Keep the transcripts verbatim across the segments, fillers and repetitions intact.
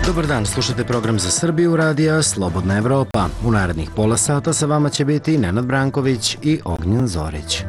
Dobar dan, slušate program za Srbiju radija Slobodna Evropa. U narednih pola sata sa vama će biti Nenad Branković i Ognjen Zorić.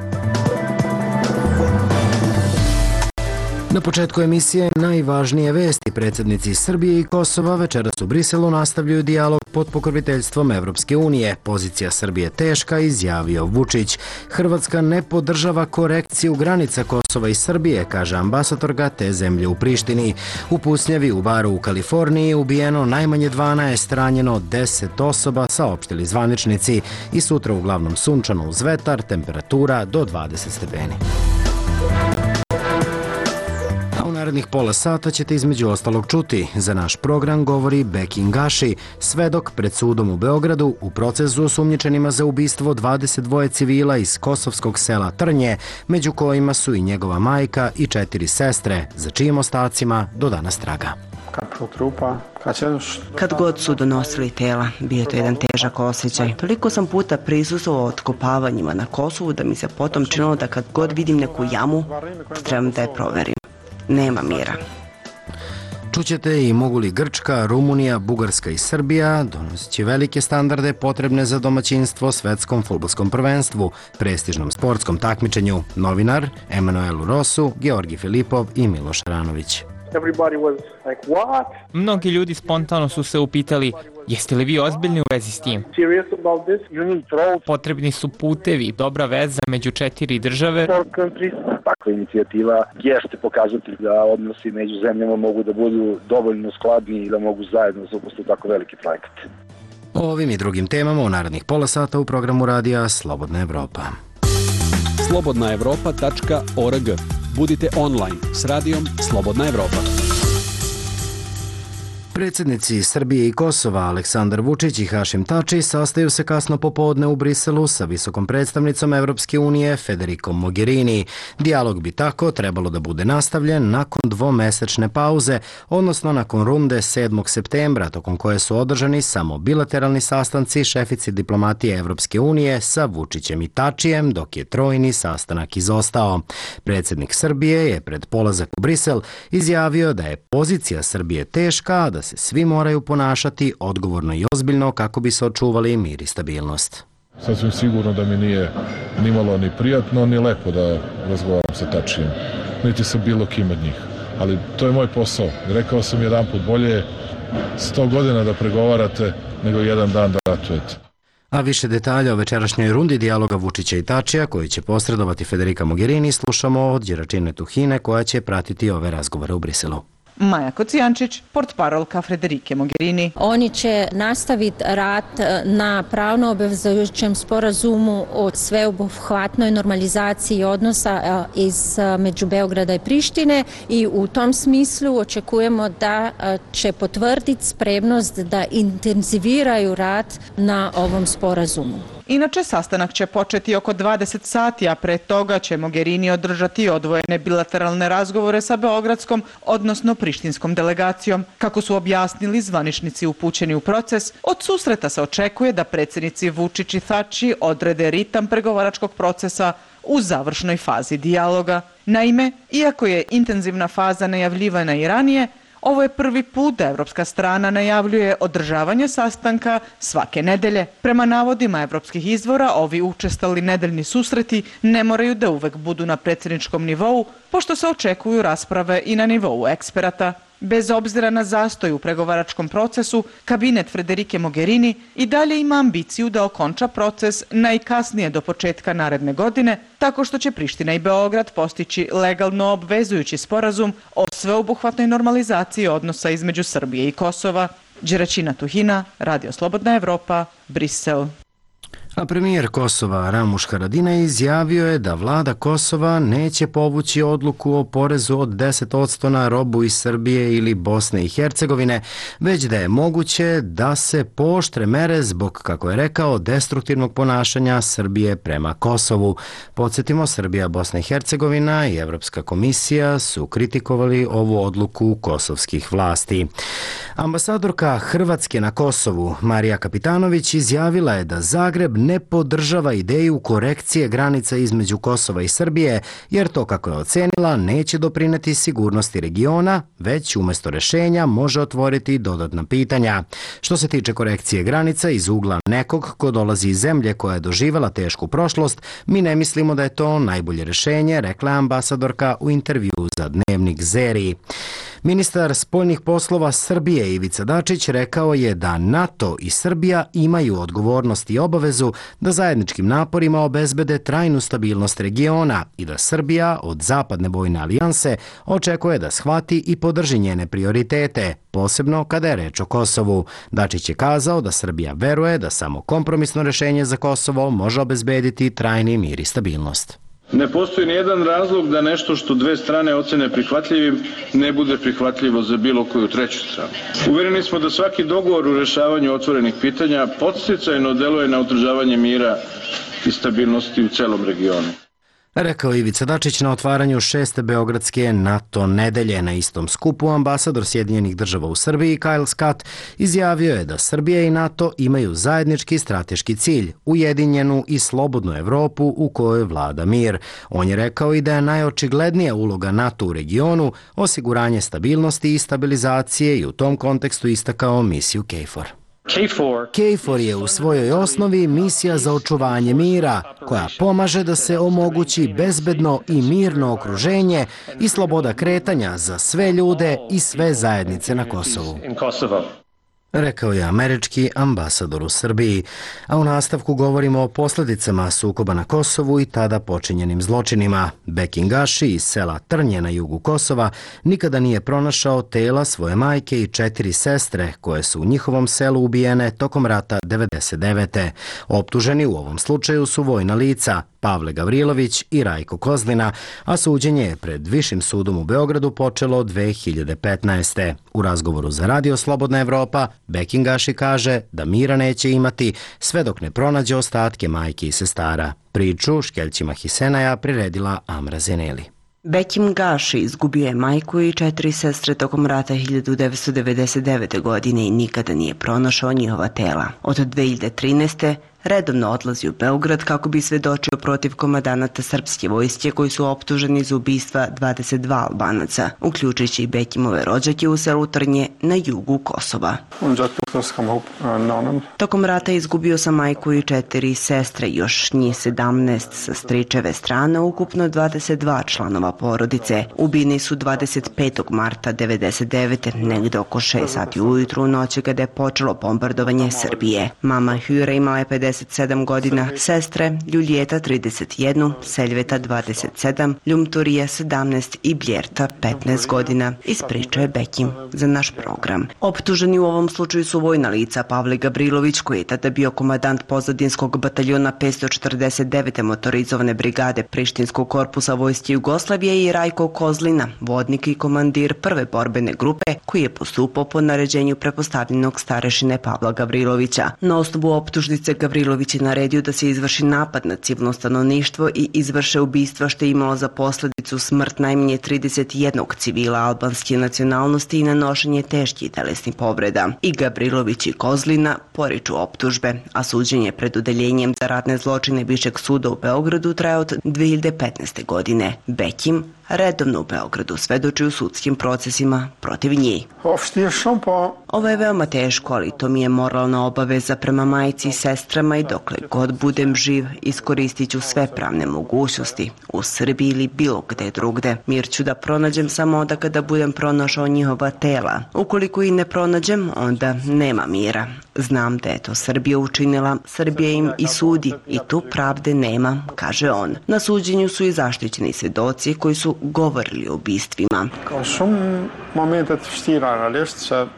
Na početku emisije najvažnije vesti. Predsjednici Srbije i Kosova večeras u Briselu nastavljaju dijalog pod pokroviteljstvom Evropske unije. Pozicija Srbije teška, izjavio Vučić. Hrvatska ne podržava korekciju granica Kosova i Srbije, kaže ambasadorka te zemlje u Prištini. U pucnjavi u baru u Kaliforniji ubijeno najmanje dvanaest, ranjeno deset osoba, saopštili zvaničnici. I sutra uglavnom sunčano uz vetar, temperatura do dvadeset stepeni. U narednih pola sata ćete između ostalog čuti. Za naš program govori Bekin Gaši, svedok pred sudom u Beogradu u procesu osumnjičenima za ubistvo dvadeset dva civila iz kosovskog sela Trnje, među kojima su i njegova majka i četiri sestre, za čijim ostacima do danas traga. Kad god su donosili tela, bio je to jedan težak osjećaj. Toliko sam puta prisustvovao otkopavanjima na Kosovu da mi se potom činilo da kad god vidim neku jamu, trebam da je proverim. Nema mira. Čućete i mogu li Grčka, Rumunija, Bugarska i Srbija donoseći velike standarde potrebne za domaćinstvo svetskom fudbalskom prvenstvu, prestižnom sportskom takmičenju. Novinar Emanuelu Rosu, Georgi Filipov i Miloš Aranović. Mnogi ljudi spontano su se upitali, jeste li vi ozbiljni u vezi s tim? Potrebni su putevi, dobra veza među četiri države. Takva inicijativa jeste pokazatelj da odnosi među zemljama mogu da budu dovoljno skladni i da mogu zajedno zaposliti tako veliki projekat. O ovim i drugim temama u narednih pola sata u programu radija Slobodna Evropa. slobodna evropa tačka org. Budite online s radijom Slobodna Evropa. Predsjednici Srbije i Kosova Aleksandar Vučić i Hašim Tači sastaju se kasno popodne u Briselu sa visokom predstavnicom Evropske unije Federikom Mogherini. Dijalog bi tako trebalo da bude nastavljen nakon dvomesečne pauze, odnosno nakon runde sedmog septembra, tokom koje su održani samo bilateralni sastanci šefici diplomatije Evropske unije sa Vučićem i Tačijem, dok je trojni sastanak izostao. Predsjednik Srbije je pred polazak u Brisel izjavio da je pozicija Srbije teška, da se svi moraju ponašati odgovorno i ozbiljno kako bi se očuvali mir i stabilnost. Sasvim sigurno da mi nije ni malo ni prijatno ni lepo da razgovaram sa Tačijem, niti sa bilo kim od njih. Ali to je moj posao. Rekao sam jedan put, bolje je sto godina da pregovarate nego jedan dan da ratujete. A više detalja o večerašnjoj rundi dijaloga Vučića i Tačija, koji će posredovati Federica Mogherini, slušamo od Đeračine Tuhine, koja će pratiti ove razgovore u Briselu. Maja Kocijančić, portparolka Federike Mogherini. Oni će nastaviti rad na pravno obvezujućem sporazumu o sveobuhvatnoj normalizaciji odnosa između Beograda i Prištine i u tom smislu očekujemo da će potvrditi spremnost da intenziviraju rad na ovom sporazumu. Inače, sastanak će početi oko dvadeset sati, a pre toga će Mogherini održati odvojene bilateralne razgovore sa beogradskom, odnosno prištinskom delegacijom. Kako su objasnili zvaničnici upućeni u proces, od susreta se očekuje da predsjednici Vučić i Tači odrede ritam pregovaračkog procesa u završnoj fazi dijaloga. Naime, iako je intenzivna faza najavljivana i ranije, ovo je prvi put da evropska strana najavljuje održavanje sastanka svake nedelje. Prema navodima evropskih izvora, ovi učestali nedeljni susreti ne moraju da uvek budu na predsjedničkom nivou, pošto se očekuju rasprave i na nivou eksperata. Bez obzira na zastoj u pregovaračkom procesu, kabinet Federike Mogherini i dalje ima ambiciju da okonča proces najkasnije do početka naredne godine, tako što će Priština i Beograd postići legalno obvezujući sporazum o sveobuhvatnoj normalizaciji odnosa između Srbije i Kosova. Đeračina Tuhina, Radio Slobodna Evropa, Brisel. A premijer Kosova Ramuš Haradinaj izjavio je da vlada Kosova neće povući odluku o porezu od deset posto na robu iz Srbije ili Bosne i Hercegovine, već da je moguće da se pooštre mere zbog, kako je rekao, destruktivnog ponašanja Srbije prema Kosovu. Podsjetimo, Srbija, Bosna i Hercegovina i Evropska komisija su kritikovali ovu odluku kosovskih vlasti. Ambasadorka Hrvatske na Kosovu, Marija Kapitanović, izjavila je da Zagreb ne podržava ideju korekcije granica između Kosova i Srbije, jer to, kako je ocenila, neće doprineti sigurnosti regiona, već umjesto rešenja može otvoriti dodatna pitanja. Što se tiče korekcije granica iz ugla nekog ko dolazi iz zemlje koja je doživjela tešku prošlost, mi ne mislimo da je to najbolje rešenje, rekla je ambasadorka u intervju za Dnevnik Zeri. Ministar spoljnih poslova Srbije Ivica Dačić rekao je da NATO i Srbija imaju odgovornost i obavezu da zajedničkim naporima obezbede trajnu stabilnost regiona i da Srbija od Zapadne vojne alijanse očekuje da shvati i podrži njene prioritete, posebno kada je reč o Kosovu. Dačić je kazao da Srbija veruje da samo kompromisno rešenje za Kosovo može obezbediti trajni mir i stabilnost. Ne postoji nijedan razlog da nešto što dve strane ocene prihvatljivim ne bude prihvatljivo za bilo koju treću stranu. Uvereni smo da svaki dogovor u rešavanju otvorenih pitanja podsticajno deluje na održavanje mira i stabilnosti u celom regionu. Rekao Ivica Dačić na otvaranju šeste beogradske NATO nedelje. Na istom skupu ambasador Sjedinjenih država u Srbiji Kyle Scott izjavio je da Srbija i NATO imaju zajednički strateški cilj, ujedinjenu i slobodnu Evropu u kojoj vlada mir. On je rekao i da je najočiglednija uloga NATO u regionu osiguranje stabilnosti i stabilizacije i u tom kontekstu istakao misiju KFOR. KFOR je u svojoj osnovi misija za očuvanje mira, koja pomaže da se omogući bezbedno i mirno okruženje i sloboda kretanja za sve ljude i sve zajednice na Kosovu, rekao je američki ambasador u Srbiji. A u nastavku govorimo o posljedicama sukoba na Kosovu i tada počinjenim zločinima. Bekim Gaši iz sela Trnje na jugu Kosova nikada nije pronašao tela svoje majke i četiri sestre koje su u njihovom selu ubijene tokom rata devedeset devete. Optuženi u ovom slučaju su vojna lica Pavle Gavrilović i Rajko Kozlina, a suđenje je pred Višim sudom u Beogradu počelo dve hiljade petnaeste. U razgovoru za Radio Slobodna Evropa, Bekim Gaši kaže da mira neće imati sve dok ne pronađe ostatke majke i sestara. Priču škeljcima Hisenaja priredila Amra Zeneli. Bekim Gaši izgubio je majku i četiri sestre tokom rata hiljadu devetsto devedeset devete. godine i nikada nije pronašao njihova tela. Od dve hiljade trinaeste. redovno odlazi u Beograd kako bi svedočio protiv komandanata srpske vojske koji su optuženi za ubistva dvadeset dva Albanaca, uključujući i Bekimove rođake u selu Trnje na jugu Kosova. Tokom rata izgubio sam majku i četiri sestre, još njih sedamnaest sa stričeve strane, ukupno dvadeset dva članova porodice. Ubini su dvadeset petog marta devedeset devete. negde oko šest sati ujutru u noći kada je počelo bombardovanje Srbije. Mama Hyra imala je pedeset sedam godina, sestre Ljuljeta trideset jedan, Seljveta dvadeset sedam, Ljumturija sedamnaest i Bljerta petnaest godina, ispričao je Bekim za naš program. Optuženi u ovom slučaju su vojna lica Pavle Gavrilović, koji je tada bio komandant pozadinskog bataljona petsto četrdeset devete motorizovane brigade Prištinskog korpusa vojske Jugoslavije, i Rajko Kozlina, vodnik i komandir prve borbene grupe, koji je postupao po naređenju prepostavljenog starešine Pavla Gavrilovića. Na osnovu optužnice Gavrilović je naredio da se izvrši napad na civilno stanovništvo i izvrše ubistva, što je imalo za posledicu smrt najmanje trideset jednog civila albanske nacionalnosti i nanošenje teških telesnih povreda. I Gavrilović i Kozlina poriču optužbe, a suđenje pred odeljenjem za ratne zločine Višeg suda u Beogradu traje od dve hiljade petnaeste. godine. Bekim redovno u Beogradu svedoči u sudskim procesima protiv njih. Ovo je veoma teško, ali to mi je moralna obaveza prema majci i sestrama i dokle god budem živ iskoristit ću sve pravne mogućnosti u Srbiji ili bilo gde drugde. Mir ću da pronađem samo onda kada budem pronašao njihova tela. Ukoliko ih ne pronađem, onda nema mira. Znam da je to Srbija učinila, Srbija im i sudi i tu pravde nema, kaže on. Na suđenju su i zaštićeni svedoci koji su govorili o ubistvima.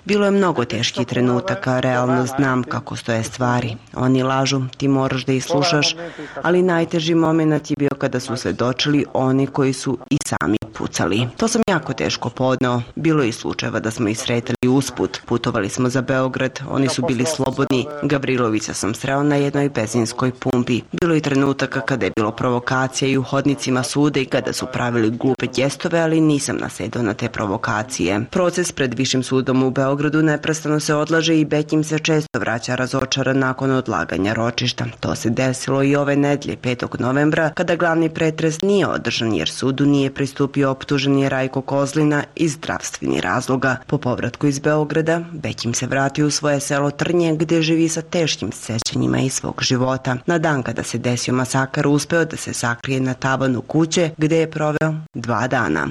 Bilo je mnogo teških trenutaka, realno znam kako stoje stvari. Oni lažu, ti moraš da ih slušaš, ali najteži moment je bio kada su svedočili oni koji su i sami pucali. To sam jako teško podneo. Bilo je i slučajeva da smo ih sretali usput. Putovali smo za Beograd, oni su bili slobodni. Gavrilovića sam sreo na jednoj benzinskoj pumpi. Bilo je trenutaka kada je bilo provokacija i u hodnicima suda i kada su pravili glupe gestove, ali nisam nasedao na te provokacije. Proces pred Višim sudom u Beogradu neprestano se odlaže i Bekim se često vraća razočaran nakon odlaganja ročišta. To se desilo i ove nedelje, petog novembra, kada glavni pretres nije održan jer sudu nije pristupio optuženi Rajko Kozlina iz zdravstvenih razloga. Po povratku iz Beograda, Bekim se vratio u svoje selo Trnje gdje živi sa teškim sećanjima iz svog života. Na dan kada se desio masakar uspeo da se sakrije na tavanu kuće gdje je proveo dva dana.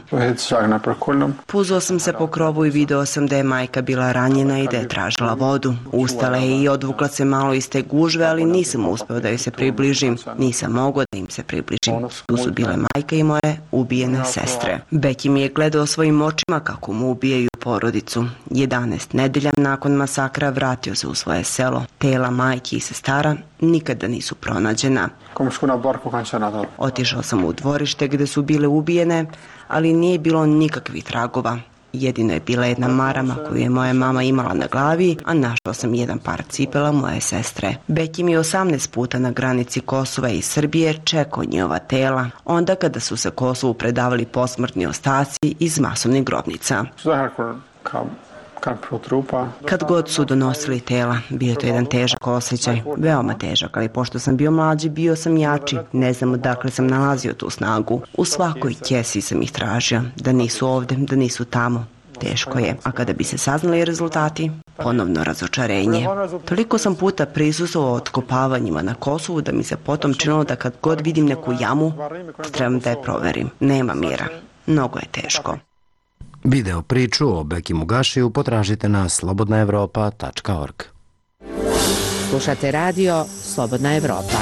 Puzao sam se po krovu i video sam da je majka bila ranjena i da je tražila vodu. Ustala je i odvukla se malo iz te gužve, ali nisam uspeo da joj se približim. Nisam mogao da im se približim. Tu su bile majka i moje ubijene sestre. Bekim je gledao svojim očima kako mu ubijaju porodicu. jedanaest nedelja nakon masakra vratio se u svoje selo. Tela majki i sestara nikada nisu pronađena. Otišao sam u dvorište gdje su bile ubijene, ali nije bilo nikakvih tragova. Jedino je bila jedna marama koju je moja mama imala na glavi, a našao sam jedan par cipela moje sestre. Bekim je osamnaest puta na granici Kosova i Srbije čekao njihova tela, onda kada su se Kosovu predavali posmrtni ostaci iz masovnih grobnica. Kad god su donosili tela, bio to jedan težak osjećaj, veoma težak, ali pošto sam bio mlađi, bio sam jači, ne znam odakle sam nalazio tu snagu. U svakoj kesi sam ih tražio, da nisu ovde, da nisu tamo. Teško je, a kada bi se saznali rezultati, ponovno razočarenje. Toliko sam puta prisustvovao otkopavanjima na Kosovu da mi se potom činilo da kad god vidim neku jamu, trebam da je proverim. Nema mira. Mnogo je teško. Video priču o Bekimu Gašiju potražite na slobodna evropa tačka org. Slušate radio Slobodna Evropa.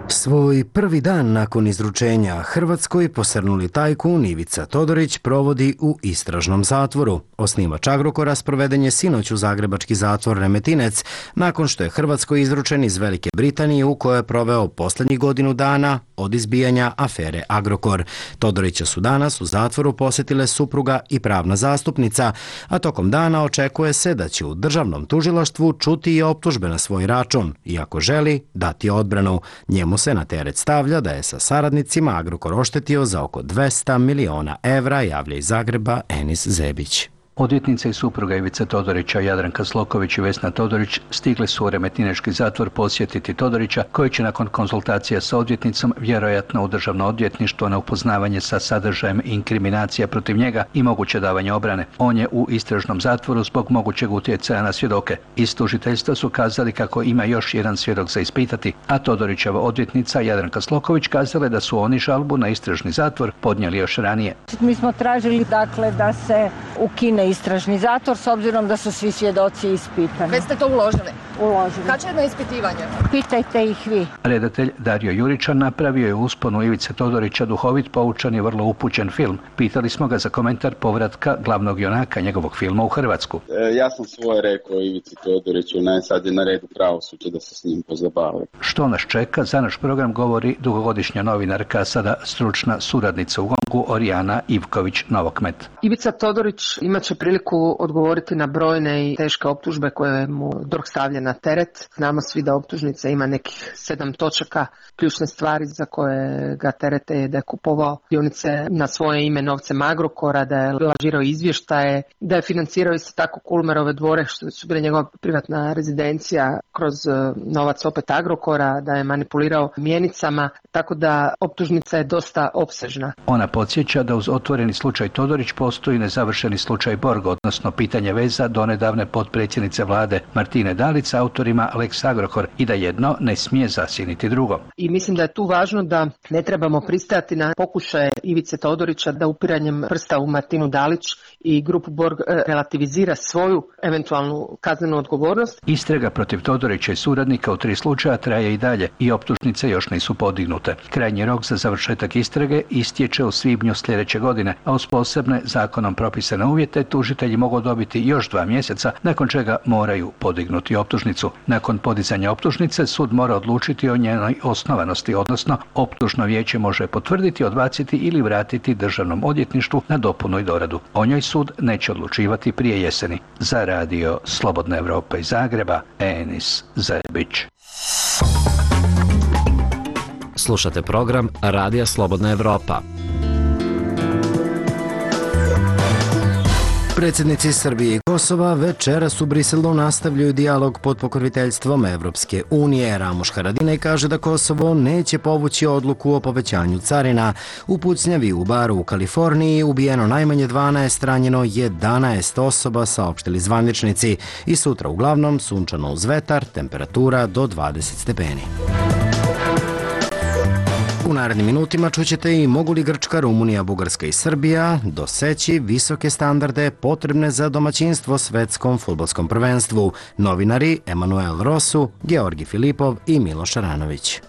Svoj prvi dan nakon izručenja Hrvatskoj posrnuli tajkun Ivica Todorić provodi u istražnom zatvoru. Osnivač Agrokora sproveden je sinoć u zagrebački zatvor Remetinec nakon što je Hrvatskoj izručen iz Velike Britanije u kojoj je proveo posljednjih godinu dana od izbijanja afere Agrokor. Todorića su danas u zatvoru posjetile supruga i pravna zastupnica, a tokom dana očekuje se da će u državnom tužilaštvu čuti i optužbe na svoj račun, iako želi dati odbranu. Njemu se na teret stavlja da je sa saradnicima Agrokor oštetio za oko dvesta miliona evra, javlja iz Zagreba Enis Zebić. Odvjetnica i supruga Ivice Todorića, Jadranka Sloković i Vesna Todorić, stigli su u Remetinečki zatvor posjetiti Todorića, koji će nakon konzultacija sa odvjetnicom vjerojatno u državno odvjetništvo na upoznavanje sa sadržajem inkriminacija protiv njega i moguće davanje obrane. On je u istražnom zatvoru zbog mogućeg utjecaja na svjedoke. Iz tužiteljstva su kazali kako ima još jedan svjedok za ispitati, a Todorićeva odvjetnica Jadranka Sloković kazala da su oni žalbu na istražni zatvor podnijeli još ranije. Mi smo tražili dakle da se ukine istražni zatvor s obzirom da su svi svjedoci ispitani. Već ste to uložili? Uložili. Kad će jedno ispitivanje? Pitajte ih vi. Redatelj Dario Juričan napravio je usponu Ivice Todorića duhovit, poučan i vrlo upućen film. Pitali smo ga za komentar povratka glavnog junaka njegovog filma u Hrvatsku. E, ja sam svoje rekao Ivici Todoriću, ne, sad je na redu pravosuđe da se s njim pozabavi. Što nas čeka? Za naš program govori dugogodišnja novinarka, sada stručna suradnica u Gongu, Orijana Ivković-Novokmet. Ivica Todorić imat će priliku odgovoriti na brojne i teške optužbe koje mu D O R H stavlja na teret. Znamo svi da optužnica ima nekih sedam točaka. Ključne stvari za koje ga terete je da je kupovao dionice na svoje ime novcem Agrokora, da je lažirao izvještaje, da je financirao isto tako Kulmerove dvore, što su bile njegova privatna rezidencija, kroz novac opet Agrokora, da je manipulirao mjenicama, tako da optužnica je dosta opsežna. Ona podsjeća da uz otvoreni slučaj Todorić postoji nezavršeni slučaj Borg, odnosno pitanje veza donedavne potpredsjednice vlade Martine Dalić s autorima Lex Agrokor i da jedno ne smije zasjeniti drugo. I mislim da je tu važno da ne trebamo pristajati na pokušaje Ivice Todorića da upiranjem prsta u Martinu Dalić i grupu Borg relativizira svoju eventualnu kaznenu odgovornost. Istraga protiv Todorića i suradnika u tri slučaja traje i dalje i optužnice još nisu podignute. Krajnji rok za završetak istrage istječe u svibnju sljedeće godine, a uz posebne zakonom propisane uvjete tužitelji mogu dobiti još dva mjeseca, nakon čega moraju podignuti optužnicu. optužnicu. Nakon podizanja optužnice sud mora odlučiti o njenoj osnovanosti, odnosno optužno vijeće može potvrditi, odbaciti ili vratiti državnom odvjetništvu na dopunu i doradu. O njoj sud neće odlučivati prije jeseni. Za radio Slobodna Evropa iz Zagreba, Enis Zerbić. Slušate program Radija Slobodna Evropa. Predsjednici Srbije i Kosova večeras u Briselu nastavljaju dijalog pod pokroviteljstvom Evropske unije. Ramuš Haradinaj kaže da Kosovo neće povući odluku o povećanju carina. U pucnjavi u baru u Kaliforniji ubijeno najmanje dvanaest, ranjeno jedanaest osoba, saopštili zvaničnici. I sutra uglavnom sunčano uz vetar, temperatura do dvadeset stepeni. U narednim minutima čućete i mogu li Grčka, Rumunija, Bugarska i Srbija doseći visoke standarde potrebne za domaćinstvo svetskom fudbalskom prvenstvu. Novinari Emanuel Rosu, Georgi Filipov i Miloš Aranović.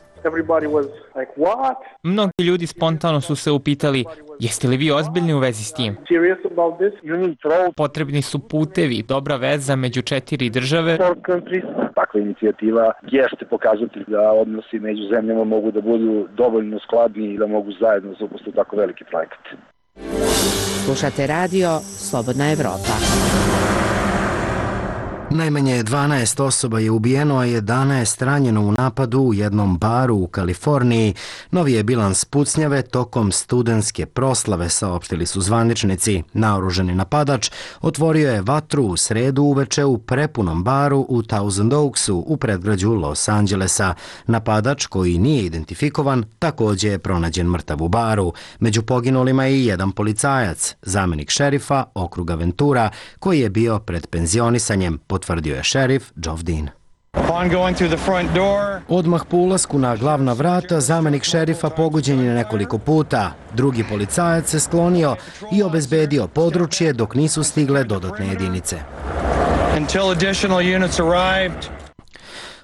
Mnogi ljudi spontano su se upitali, jeste li vi ozbiljni u vezi s tim? Potrebni su putevi, dobra veza među četiri države. Takva inicijativa jeste pokazatelj da odnosi među zemljama mogu da budu dovoljno skladni i da mogu zajedno zaposliti tako veliki projekat. Slušate radio Slobodna Evropa. Najmanje dvanaest osoba je ubijeno, a jedanaest ranjeno u napadu u jednom baru u Kaliforniji. Novi je bilans pucnjave tokom studentske proslave, saopštili su zvaničnici. Naoružani napadač otvorio je vatru u sredu uveče u prepunom baru u Thousand Oaksu u predgrađu Los Angelesa. Napadač, koji nije identifikovan, takođe je pronađen mrtav u baru. Među poginulima je i jedan policajac, zamenik šerifa okruga Ventura, koji je bio pred penzionisanjem, potvrdio je šerif Geoff Dean. Odmah po ulasku na glavna vrata, zamenik šerifa pogođen je nekoliko puta. Drugi policajac se sklonio i obezbedio područje dok nisu stigle dodatne jedinice.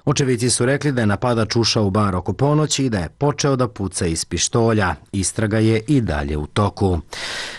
Očevici su rekli da je napadač ušao u bar oko ponoći i da je počeo da puca iz pištolja. Istraga je i dalje u toku.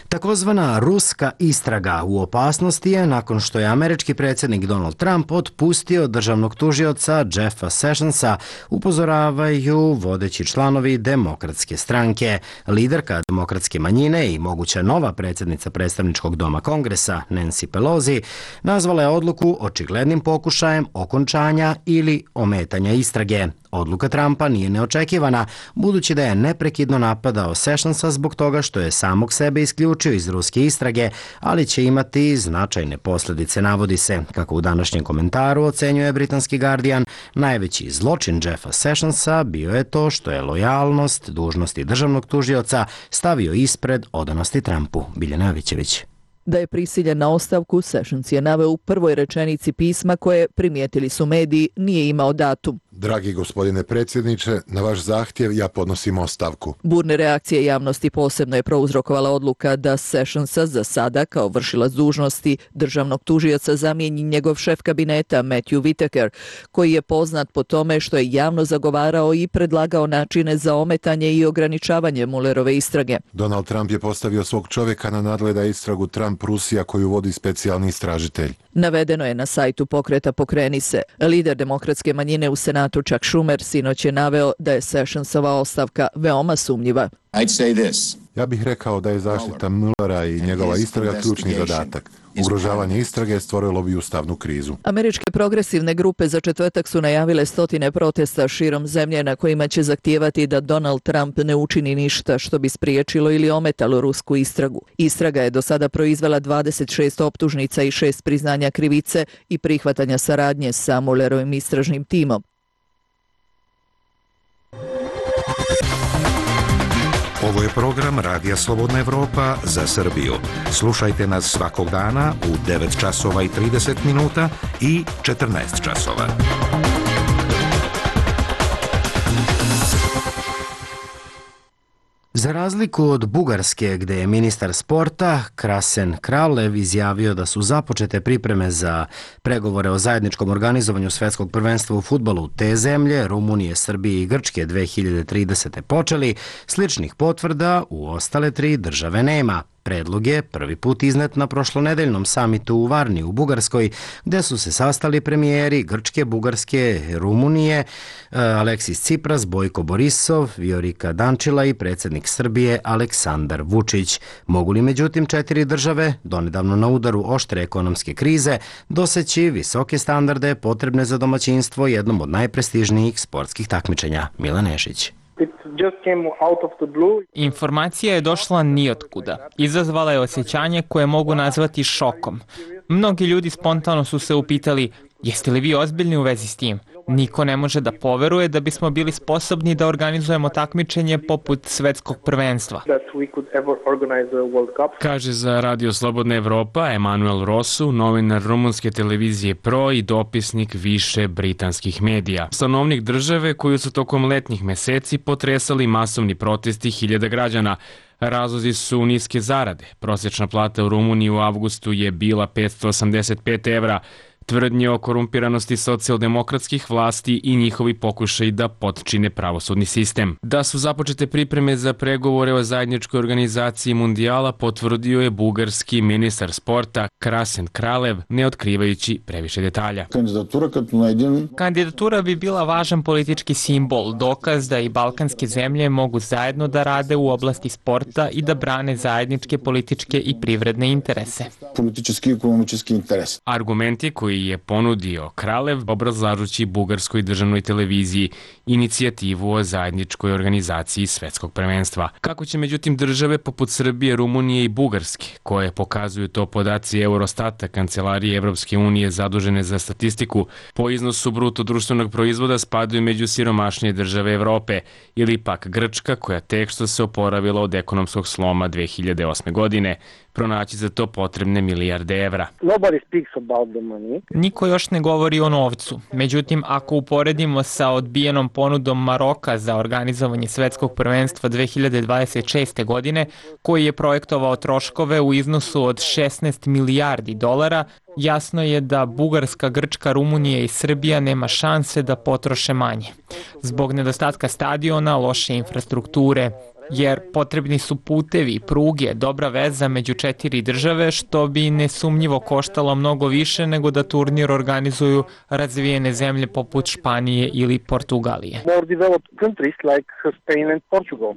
Takozvana ruska istraga u opasnosti je nakon što je američki predsjednik Donald Trump otpustio državnog tužioca Jeffa Sessionsa, upozoravaju vodeći članovi Demokratske stranke. Liderka demokratske manjine i moguća nova predsjednica predstavničkog doma Kongresa, Nancy Pelosi, nazvala je odluku očiglednim pokušajem okončanja ili ometanja istrage. Odluka Trumpa nije neočekivana, budući da je neprekidno napadao Sessionsa zbog toga što je samog sebe isključio iz ruske istrage, ali će imati značajne posljedice, navodi se. Kako u današnjem komentaru ocenjuje britanski Guardian, najveći zločin Jeffa Sessionsa bio je to što je lojalnost dužnosti državnog tužioca stavio ispred odanosti Trumpu. Biljana Jovićević. Da je prisiljen na ostavku, Sessions je naveo u prvoj rečenici pisma koje, primijetili su mediji, nije imao datum. Dragi gospodine predsjedniče, na vaš zahtjev ja podnosim ostavku. Burne reakcije javnosti posebno je prouzrokovala odluka da Sessionsa za sada kao vršilac dužnosti državnog tužioca zamijeni njegov šef kabineta Matthew Whitaker, koji je poznat po tome što je javno zagovarao i predlagao načine za ometanje i ograničavanje Muellerove istrage. Donald Trump je postavio svog čovjeka na nadgleda istragu Trump-Rusija koju vodi specijalni istražitelj. Navedeno je na sajtu pokreta Pokreni se. Lider demokratske manjine u Senatu Chuck Schumer sinoć je naveo da je Sessionsova ostavka veoma sumnjiva. Ja bih rekao da je zaštita Muellera i njegova istraga ključni zadatak. Ugrožavanje istrage stvorilo bi ustavnu krizu. Američke progresivne grupe za četvrtak su najavile stotine protesta širom zemlje na kojima će zahtijevati da Donald Trump ne učini ništa što bi spriječilo ili ometalo rusku istragu. Istraga je do sada proizvela dvadeset šest optužnica i šest priznanja krivice i prihvatanja saradnje sa Muellerovim istražnim timom. Ovo je program Radija Slobodna Evropa za Srbiju. Slušajte nas svakog dana u devet časova i trideset minuta i četrnaest časova. Za razliku od Bugarske, gde je ministar sporta Krasen Kraljev izjavio da su započete pripreme za pregovore o zajedničkom organizovanju svetskog prvenstva u fudbalu te zemlje, Rumunije, Srbije i Grčke dve hiljade tridesete počeli, sličnih potvrda u ostale tri države nema. Predlog je prvi put iznet na prošlonedeljnom samitu u Varni u Bugarskoj, gde su se sastali premijeri Grčke, Bugarske, Rumunije, Aleksis Cipras, Bojko Borisov, Viorika Dančila i predsjednik Srbije Aleksandar Vučić. Mogu li međutim četiri države, donedavno na udaru oštre ekonomske krize, doseći visoke standarde potrebne za domaćinstvo jednom od najprestižnijih sportskih takmičenja? Milan Nešić. Informacija je došla nijotkuda. Izazvala je osjećanje koje mogu nazvati šokom. Mnogi ljudi spontano su se upitali, jeste li vi ozbiljni u vezi s tim? Niko ne može da poveruje da bismo bili sposobni da organizujemo takmičenje poput svetskog prvenstva. Kaže za Radio Slobodna Evropa Emanuel Rosu, novinar rumunske televizije Pro i dopisnik više britanskih medija. Stanovnik države koju su tokom letnjih meseci potresali masovni protesti hiljada građana. Razlozi su niske zarade. Prosječna plata u Rumuniji u avgustu je bila petsto osamdeset pet evra. Tvrdnje o korumpiranosti socijaldemokratskih vlasti i njihovi pokušaj da potčine pravosudni sistem. Da su započete pripreme za pregovore o zajedničkoj organizaciji mundijala potvrdio je bugarski ministar sporta Krasen Kralev, ne otkrivajući previše detalja. Kandidatura bi bila važan politički simbol, dokaz da i balkanske zemlje mogu zajedno da rade u oblasti sporta i da brane zajedničke političke i privredne interese. Politički i ekonomički interes. Argumenti koji je ponudio Kralev obrazlažući bugarskoj državnoj televiziji inicijativu o zajedničkoj organizaciji svetskog prvenstva. Kako će međutim države poput Srbije, Rumunije i Bugarske, koje pokazuju to podaci Eurostata, kancelarije Evropske unije zadužene za statistiku, po iznosu bruto društvenog proizvoda spadaju među siromašnije države Evrope, ili pak Grčka koja tek što se oporavila od ekonomskog sloma dve hiljade osme godine, pronaći za to potrebne milijarde evra. Niko još ne govori o novcu. Međutim, ako uporedimo sa odbijenom ponudom Maroka za organizovanje svetskog prvenstva dve hiljade dvadeset šeste. godine, koji je projektovao troškove u iznosu od šesnaest milijardi dolara, jasno je da Bugarska, Grčka, Rumunija i Srbija nema šanse da potroše manje. Zbog nedostatka stadiona, loše infrastrukture, jer potrebni su putevi, pruge, dobra veza među četiri države, što bi nesumnjivo koštalo mnogo više nego da turnir organizuju razvijene zemlje poput Španije ili Portugalije.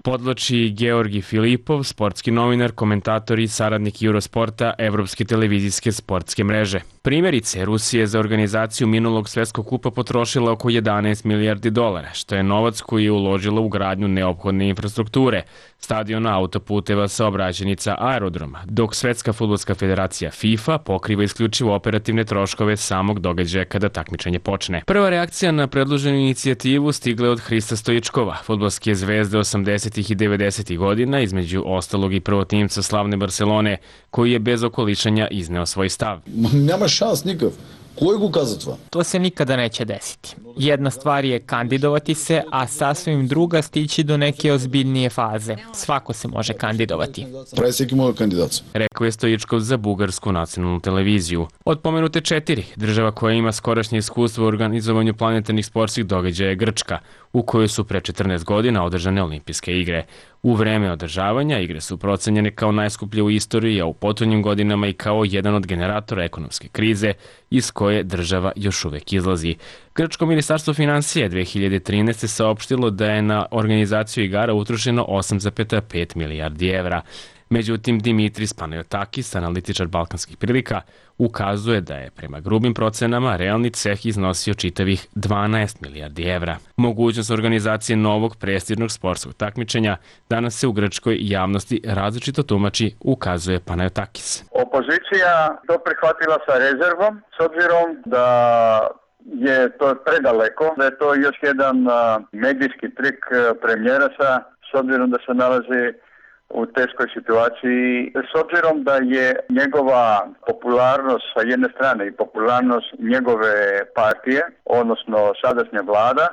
Podlači Georgi Filipov, sportski novinar, komentator i saradnik Eurosporta Evropske televizijske sportske mreže. Primjerice, Rusija je za organizaciju minulog svetskog kupa potrošila oko jedanaest milijardi dolara, što je novac koji je uložila u gradnju neophodne infrastrukture, stadiona, autoputeva, saobraćajnica, aerodroma, dok Svetska fudbalska federacija FIFA pokriva isključivo operativne troškove samog događaja kada takmičenje počne. Prva reakcija na predloženu inicijativu stigla je od Hrista Stojičkova, fudbalske zvezde osamdesetih i devedesetih godina, između ostalog i prvotimca slavne Barcelone, koji je bez okolišanja izneo svoj stav. Nema šans nikav. Koji go kazatva? To se nikada neće desiti. Jedna stvar je kandidovati se, a sasvim druga stići do neke ozbiljnije faze. Svako se može kandidovati. Preseki može kandidat. Rekao je Stojičkov za bugarsku nacionalnu televiziju. Od pomenute četiri, država koja ima skorašnje iskustvo u organizovanju planetarnih sportskih događaja je Grčka, u kojoj su pre četrnaest godina održane olimpijske igre. U vreme održavanja igre su procenjene kao najskuplje u istoriji, a u potonjim godinama i kao jedan od generatora ekonomske krize iz koje država još uvek izlazi. Grčko ministarstvo finansija dve hiljade trinaeste. saopštilo da je na organizaciju igara utrošeno osam zarez pet milijardi evra. Međutim, Dimitris Panayotakis, analitičar balkanskih prilika, ukazuje da je prema grubim procenama realni ceh iznosio čitavih dvanaest milijardi evra. Mogućnost organizacije novog prestižnog sportskog takmičenja danas se u grčkoj javnosti različito tumači, ukazuje Panayotakis. Opozicija to prihvatila sa rezervom, s obzirom da je to predaleko, da je to još jedan medijski trik premijera sa, s obzirom da se nalazi u teškoj situaciji, s obzirom da je njegova popularnost sa jedne strane i popularnost njegove partije, odnosno sadašnja vlada,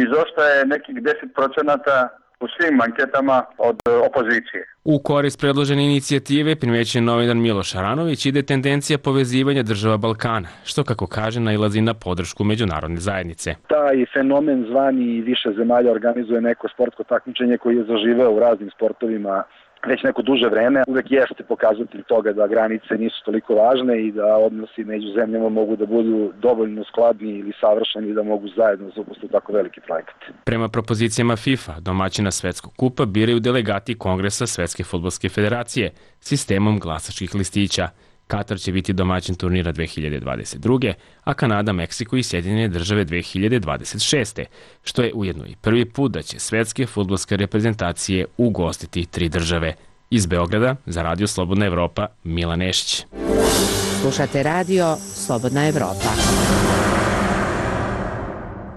izostaje nekih deset procenata u svim anketama od opozicije. U korist predložene inicijative primećen novinar Miloš Aranović ide tendencija povezivanja država Balkana, što kako kaže nailazi na podršku međunarodne zajednice. Taj fenomen zvani više zemalja organizuje neko sportsko takmičenje koji je zaživeo u raznim sportovima već neko duže vreme, uvek jeste pokazatelj toga da granice nisu toliko važne i da odnosi među zemljama mogu da budu dovoljno skladni ili savršeni da mogu zajedno zaposliti tako veliki projekat. Prema propozicijama FIFA, domaćina Svetskog kupa biraju delegati Kongresa Svetske fudbalske federacije sistemom glasačkih listića. Katar će biti domaćin turnira dve hiljade dvadeset druge. a Kanada, Meksiko i Sjedinjene države dve hiljade dvadeset šeste. što je ujedno i prvi put da će svetske fudbalske reprezentacije ugostiti tri države. Iz Beograda za Radio Slobodna Evropa, Milan Nešić. Slušate Radio Slobodna Evropa.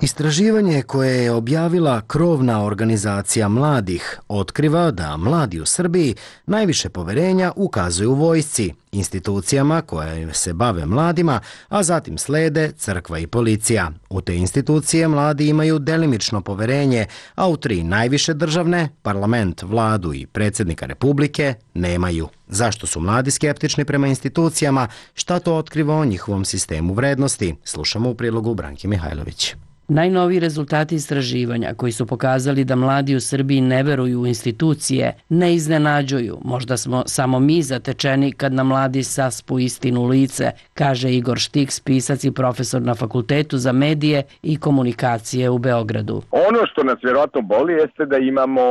Istraživanje koje je objavila krovna organizacija mladih otkriva da mladi u Srbiji najviše poverenja ukazuju vojsci, institucijama koje se bave mladima, a zatim slede crkva i policija. U te institucije mladi imaju delimično poverenje, a u tri najviše državne, parlament, vladu i predsjednika Republike, nemaju. Zašto su mladi skeptični prema institucijama? Šta to otkriva o njihovom sistemu vrednosti? Slušamo u prilogu Branke Mihajlović. Najnoviji rezultati istraživanja koji su pokazali da mladi u Srbiji ne veruju u institucije ne iznenađuju. Možda smo samo mi zatečeni kad nam mladi saspu istinu u lice, kaže Igor Štiks, pisac i profesor na Fakultetu za medije i komunikacije u Beogradu. Ono što nas vjerojatno boli jeste da imamo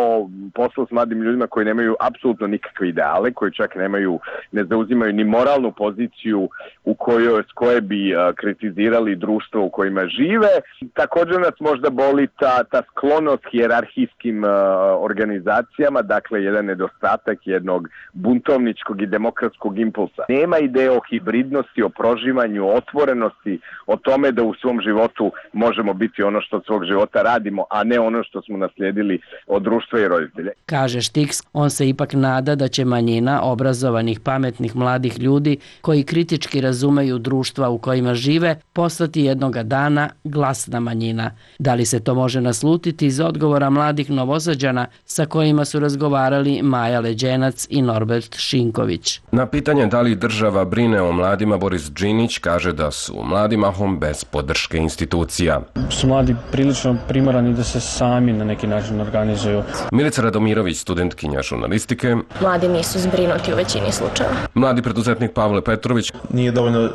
posao s mladim ljudima koji nemaju apsolutno nikakve ideale, koji čak nemaju, ne zauzimaju ni moralnu poziciju u kojoj, s koje bi a, kritizirali društvo u kojima žive. Također nas možda boli ta, ta sklonost hijerarhijskim uh, organizacijama, dakle jedan nedostatak jednog buntovničkog i demokratskog impulsa. Nema ideje o hibridnosti, o proživanju, o otvorenosti, o tome da u svom životu možemo biti ono što od svog života radimo, a ne ono što smo naslijedili od društva i roditelja. Kaže Štiks, on se ipak nada da će manjina obrazovanih, pametnih mladih ljudi koji kritički razumeju društva u kojima žive postati jednoga dana glasna manjina. Da li se to može naslutiti iz odgovora mladih Novosađana sa kojima su razgovarali Maja Leđenac i Norbert Šinković. Na pitanje da li država brine o mladima, Boris Džinić kaže da su mladi mahom bez podrške institucija. Su mladi prilično primorani da se sami na neki način organizuju. Milica Radomirović, studentkinja žurnalistike. Mladi nisu zbrinuti u većini slučajeva. Mladi preduzetnik Pavle Petrović. Nije dovoljno uh,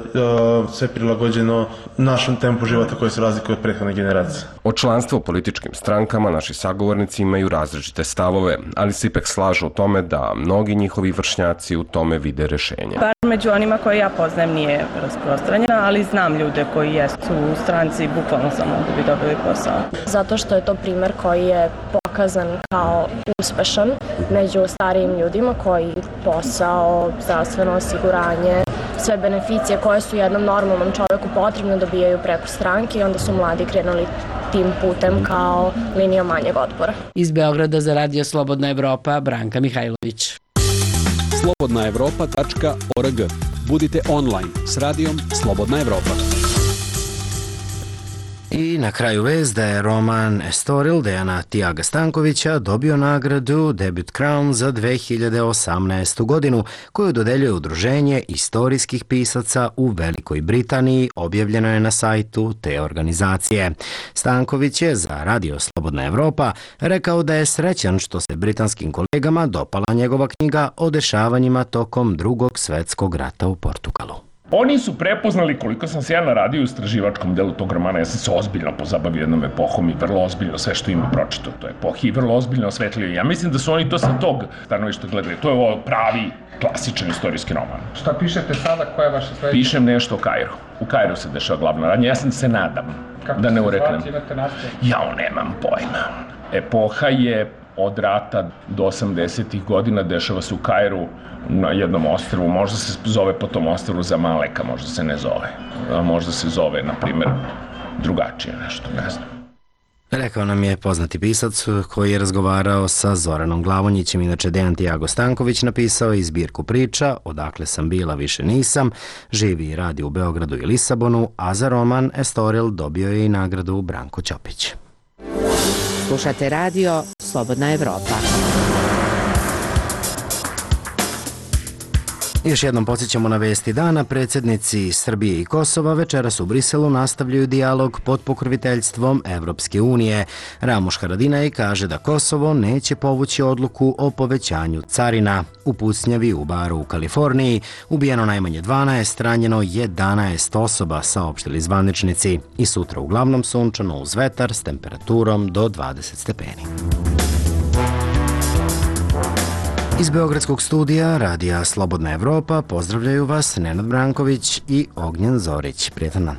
sve prilagođeno našem tempu života koji se razlikuje od prethodne generacije. O članstvu u političkim strankama naši sagovornici imaju različite stavove, ali se ipak slažu o tome da mnogi njihovi vršnjaci u tome vide rešenje. Bar među onima koje ja poznajem nije rasprostranjena, ali znam ljude koji jesu u stranci bukvalno samo da bi dobili posao. Zato što je to primer koji je pokazan kao uspešan među starijim ljudima koji posao, zdravstveno osiguranje, sve beneficije koje su jednom normalnom čovjeku potrebno dobijaju preko stranke i onda su mladi krenuli tim putem kao linija manjeg otpora. Iz Beograda za Radio Slobodna Evropa, Branka Mihajlović. slobodna evropa tačka org. Budite online s radijom Slobodna Evropa. I na kraju vest da je roman Estoril Dejana Tiaga Stankovića dobio nagradu Debut Crown za dve hiljade osamnaestu. godinu koju dodeljuje Udruženje istorijskih pisaca u Velikoj Britaniji, objavljeno je na sajtu te organizacije. Stanković je za Radio Slobodna Evropa rekao da je srećan što se britanskim kolegama dopala njegova knjiga o dešavanjima tokom Drugog svetskog rata u Portugalu. Oni su prepoznali koliko sam se ja naradio u istraživačkom delu tog romana, ja sam se ozbiljno pozabavio jednom epohom i vrlo ozbiljno sve što ima pročito toj epohi i vrlo ozbiljno osvetlio. Ja mislim da su oni to sa tog stanovišta gledali. To je ovo pravi, klasičan istorijski roman. Šta pišete sada, koja je vaša sledeća? Pišem nešto o Kairu. U Kairu se dešava glavna radnja. Ja sam se nadam Kako da ne se ureknem. zvati, imate nastav? Ja nemam pojma. Epoha je od rata do osamdesetih godina, dešava se u Kairu na jednom ostrvu, možda se zove po tom ostrvu Zamaleka, možda se ne zove, a možda se zove, na primjer, drugačije nešto, ne znam. Rekao nam je poznati pisac koji je razgovarao sa Zoranom Glavonjićem. Inače, Dejan Tiago Stanković napisao je zbirku priča Odakle sam bila, više nisam, živi i radi u Beogradu i Lisabonu, a za roman Estoril dobio je i nagradu Branko Ćopić. Slušate Radio Slobodna Evropa. Još jednom podsjećamo na vesti dana. Predsjednici Srbije i Kosova večeras u Briselu nastavljaju dijalog pod pokroviteljstvom Evropske unije. Ramuš Haradinaj kaže da Kosovo neće povući odluku o povećanju carina. U pucnjavi u baru u Kaliforniji ubijeno najmanje dvanaest, ranjeno jedanaest osoba, saopštili zvaničnici. I sutra uglavnom sunčano uz vetar s temperaturom do dvadeset stepeni. Iz Beogradskog studija Radija Slobodna Evropa pozdravljaju vas Nenad Branković i Ognjen Zorić. Prijetan dan.